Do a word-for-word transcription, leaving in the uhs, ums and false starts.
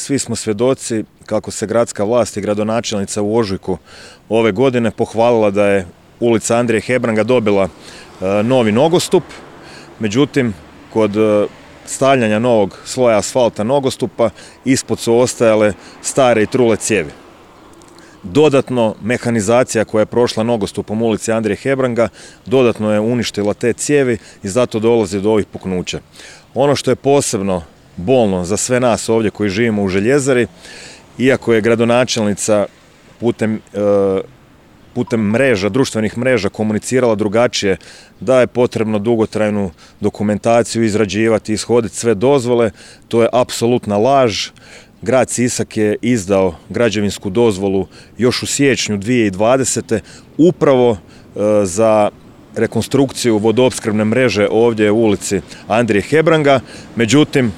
svi smo svjedoci kako se gradska vlast i gradonačelnica u ožujku ove godine pohvalila da je ulica Andrije Hebranga dobila novi nogostup. Međutim, kod stavljanja novog sloja asfalta nogostupa ispod su ostajale stare i trule cijevi. Dodatno, mehanizacija koja je prošla nogostupom ulici Andrije Hebranga dodatno je uništila te cijevi i zato dolazi do ovih puknuća. Ono što je posebno bolno za sve nas ovdje koji živimo u Željezari, iako je gradonačelnica putem, e, putem mreža, društvenih mreža komunicirala drugačije, da je potrebno dugotrajnu dokumentaciju izrađivati, ishoditi sve dozvole, to je apsolutna laž. Grad Sisak je izdao građevinsku dozvolu još u siječnju dvije tisuće dvadesete upravo e, za rekonstrukciju vodoopskrbne mreže ovdje u ulici Andrije Hebranga. Međutim,